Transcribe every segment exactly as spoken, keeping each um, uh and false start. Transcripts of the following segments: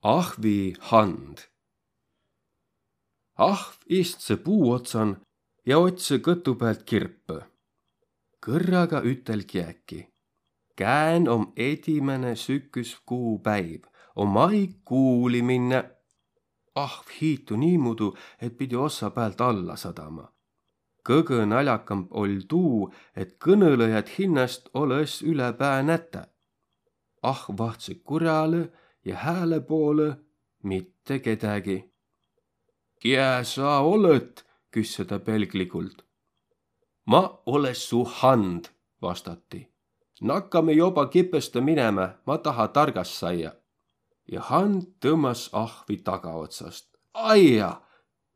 Ahvi hand. Ahv istsõ puu otsan ja otsõ kõtu päält kirpõ. Kõrraga ütel kiäki: Kään om edimäne süküskuu päiv, om aig kuuli minnä. Ahv hiitu niimuudu, et pidi ossa päält alla sadama. Kõgõ naljakamb oll' tuu, et kõnõlõjat hinnäst olõ-s ülepää nätä. Ahv vahtsõ kurjalõ ja hääle poolõ mitte kedägi. Kiä sa olõt? Küsse tä pelgligult. Ma olõ su hand, vastati. Nakkame joba kipõstõ minemä, ma taha targas saia. Ja hand tõmmas ahvi tagaotsast. Aia,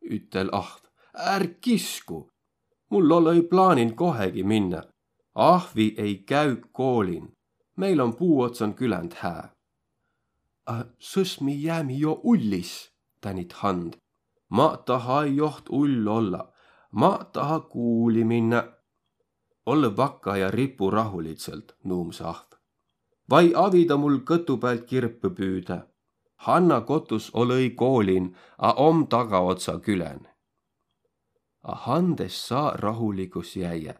ütel ahv, är kisku. Mul olõ-i plaanin kohegi minnä. Ahvi ei käü koolin. Meil om puu otsan küländ hää. A sõs mi jäämi jo ullis, tänit hand. Ma taha-i joht ull olla. Ma taha kuuli minnä. Olõ vakka ja ripu rahulidsõlt, nuumsõ ahv. Vai avida mul kõtu päält kirpõ püüdä. Hanna kotus olõ-i koolin, a om tagaotsa külän. A hand es saa rahuligus jäiä.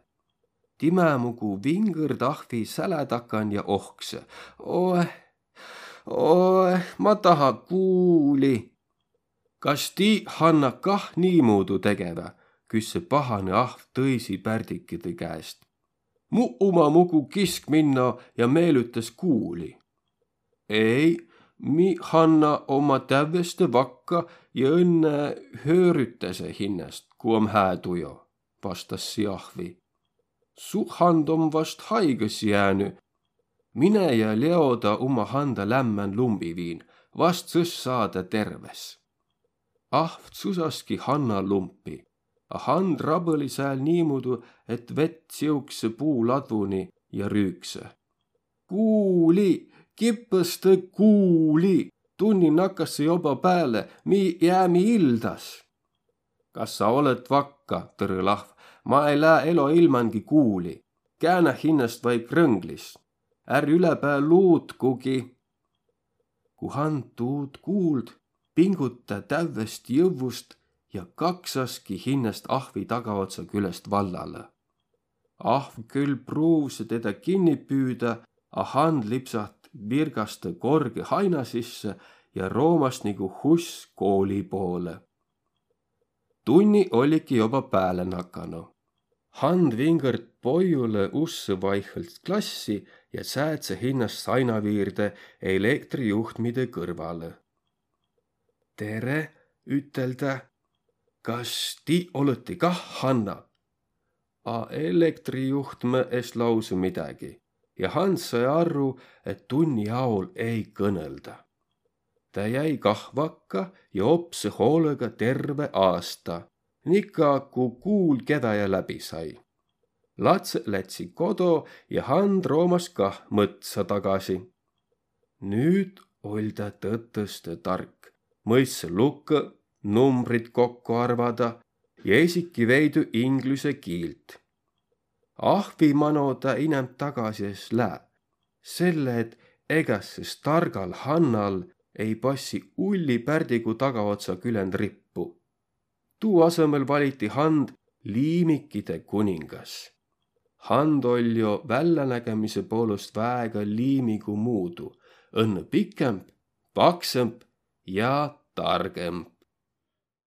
Timä mugu vingõrd ahvi sälä takan ja ohksõ: Oeh, oeh, ma taha kuuli. Kas ti, Hanna, kah niimuudu tegevä? Küsse pahanõ ahv tõisi pärdikide käest. Mu uma mugu kisk minno ja meelütäs kuuli. Ei, mi, Hanna, omma tävveste vakka ja õnnõ höörütäse hinnäst, ku om hää tujo, vastas si ahvi. Su hand om vast haigõs jäänü. Mine ja leoda uma handa lämmän lumbi viin, vast sõs saa tä terves. Ahv tsusaski hanna lumpi, a hand rabõli sääl niimuudu, et vett tsiuksõ puu ladvuni ja rüüksõ: Kuuli, kipõstõ kuuli, tunni nakkassõ joba pääle, mi jäämi ildas. Kas sa olõt vakka, tõrõl ahv, ma ei lää elo ilmangi kuuli. Käänä hinnäst vai krõnglis. Är ülepää luutkugi. Ku hand tuud kuuld, pingut tä tävvest jõvvust ja kaksaski hinnäst ahvi tagaotsa külest vallalõ. Ahv kül pruuvsõ tedä kinni püüdä, a hand lipsaht virgastõ korgõ haina sisse ja roomas nigu huss kooli poolõ. Tunni olligi joba pääle nakanu. Hand vingõrd poigulõ ussõ vaihõlt klassi ja säädse hinnäst saina viirde elektrijuhtmide kõrvalõ. Tere, ütel tä. Kas ti olõti kah Hanna? A elektrijuhtmõ es lausõ midägi ja hand sai arru, et tunni aol ei kõnõlda. Tä jäi kah vakka ja opsõ hoolõga terve aasta, nika ku kuul keväjä läbi sai. Latsõ lätsi kodo ja hand roomas kah mõtsa tagasi. Nüüt oll' tä tõtõstõ tark, mõistsõ lukõ, numbrit kokko arvada ja esiki veidü inglüse kiilt. Ahvi mano tä inämb tagasi es lää, selle et egas targal Hannal ei passi ulli pärdigu tagaotsa küländ rippu. Tuu asõmõl valiti hand liimikide kuningas. Hand oll' jo vällänägemise poolõst väega liimigu muudu, õnnõ pikemb, paksõmb ja targõmb.